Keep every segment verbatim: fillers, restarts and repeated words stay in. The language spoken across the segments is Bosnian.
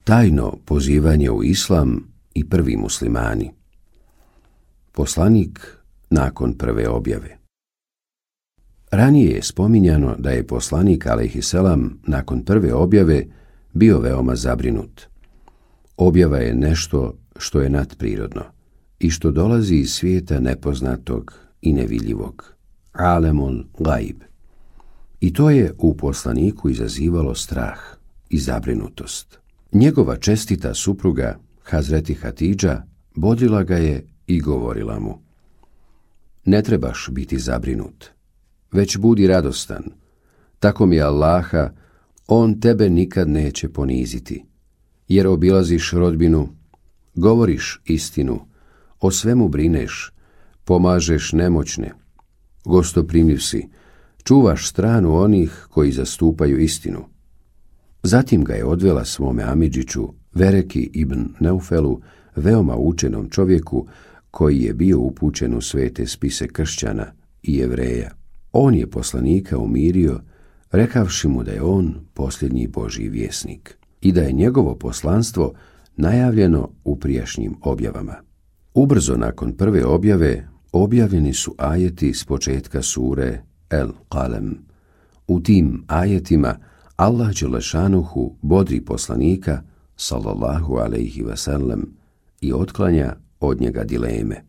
Tajno pozivanje u islam i prvi muslimani. Poslanik nakon prve objave. Ranije je spominjano da je poslanik alejhiselam nakon prve objave bio veoma zabrinut. Objava je nešto što je nadprirodno i što dolazi iz svijeta nepoznatog i nevidljivog, alemul gaib. I to je u poslaniku izazivalo strah i zabrinutost. Njegova čestita supruga, Hazreti Hatidža, bodrila ga je i govorila mu: ne trebaš biti zabrinut, već budi radostan. Tako mi Allaha, on tebe nikad neće poniziti, jer obilaziš rodbinu, govoriš istinu, o svemu brineš, pomažeš nemoćne, gostoprimljiv si, čuvaš stranu onih koji zastupaju istinu. Zatim ga je odvela svome amidžiću, Vereki ibn Neufelu, veoma učenom čovjeku koji je bio upućen u svete spise kršćana i Jevreja. On je poslanika umirio, rekavši mu da je on posljednji Božji vjesnik i da je njegovo poslanstvo najavljeno u prijašnjim objavama. Ubrzo nakon prve objave objavljeni su ajeti s početka sure El Qalem. U tim ajetima Allah dželešanuhu bodri poslanika sallallahu alejhi ve sellem i otklanja od njega dileme.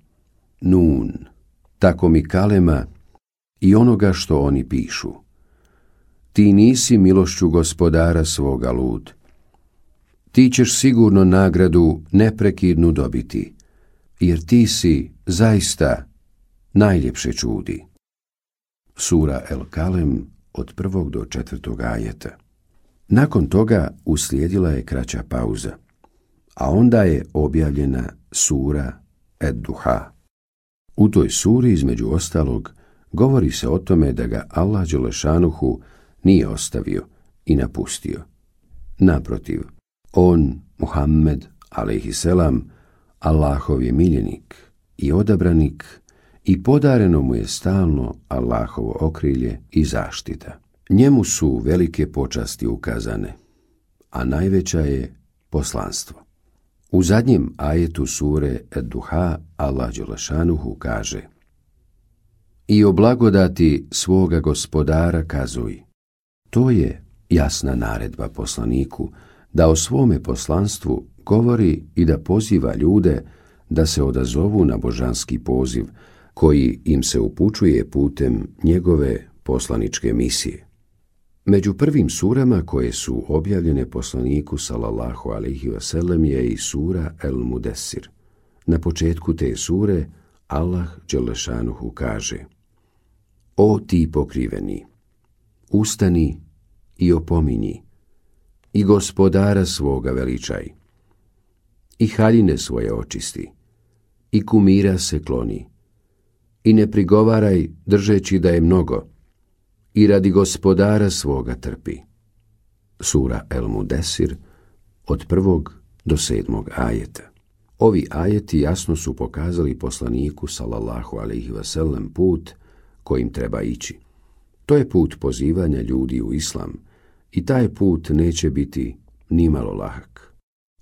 Nun, tako mi kalema i onoga što oni pišu. Ti nisi milošću gospodara svoga lud. Ti ćeš sigurno nagradu neprekidnu dobiti, jer ti si zaista najljepše čudi. Sura El Kalem od prvog do četvrtog ajeta. Nakon toga uslijedila je kraća pauza, a onda je objavljena sura Ed-Duha. U toj suri, između ostalog, govori se o tome da ga Allah dželešanuhu nije ostavio i napustio. Naprotiv, on, Muhammed, alejhiselam, Allahov je miljenik i odabranik i podareno mu je stalno Allahovo okrilje i zaštita. Njemu su velike počasti ukazane, a najveća je poslanstvo. U zadnjem ajetu sure Ed-Duha Allah dželešanuhu kaže: i o blagodati svoga gospodara kazuj. To je jasna naredba poslaniku da o svome poslanstvu govori i da poziva ljude da se odazovu na božanski poziv koji im se upućuje putem njegove poslaničke misije. Među prvim surama koje su objavljene poslaniku sallallahu alejhi ve sellem je i sura El Mudessir. Na početku te sure Allah dželešanuhu kaže: o ti pokriveni, ustani i opominji, i gospodara svoga veličaj, i haljine svoje očisti, i kumira se kloni, i ne prigovaraj držeći da je mnogo, i radi gospodara svoga trpi. Sura El Mudessir od prvog do sedmog ajeta. Ovi ajeti jasno su pokazali poslaniku sallallahu alejhi ve sellem put kojim treba ići. To je put pozivanja ljudi u islam i taj put neće biti nimalo lahak.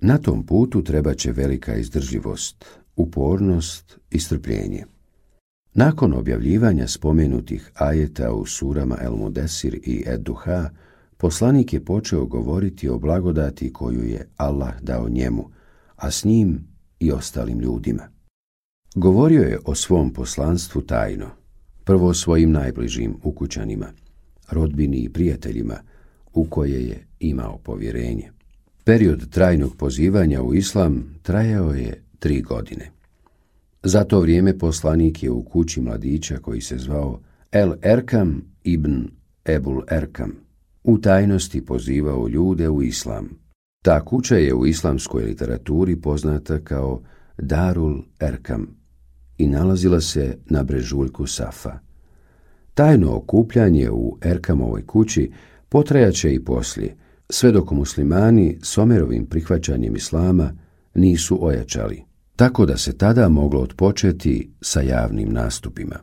Na tom putu treba će velika izdržljivost, upornost i strpljenje. Nakon objavljivanja spomenutih ajeta u surama El Mudessir i Ed-Duha, poslanik je počeo govoriti o blagodati koju je Allah dao njemu, a s njim i ostalim ljudima. Govorio je o svom poslanstvu tajno, prvo svojim najbližim ukućanima, rodbini i prijateljima u koje je imao povjerenje. Period trajnog pozivanja u islam trajao je tri godine. Za to vrijeme poslanik je u kući mladića koji se zvao El Erkam ibn Ebul Erkam u tajnosti pozivao ljude u islam. Ta kuća je u islamskoj literaturi poznata kao Darul Erkam i nalazila se na brežuljku Safa. Tajno okupljanje u Erkamovoj kući potrajaće i poslije, sve dok muslimani s Omerovim prihvaćanjem islama nisu ojačali, tako da se tada moglo otpočeti sa javnim nastupima.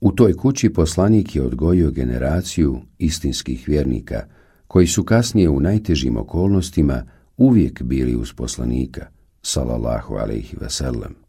U toj kući poslanik je odgojio generaciju istinskih vjernika, koji su kasnije u najtežim okolnostima uvijek bili uz poslanika, sallallahu alejhi ve sellem.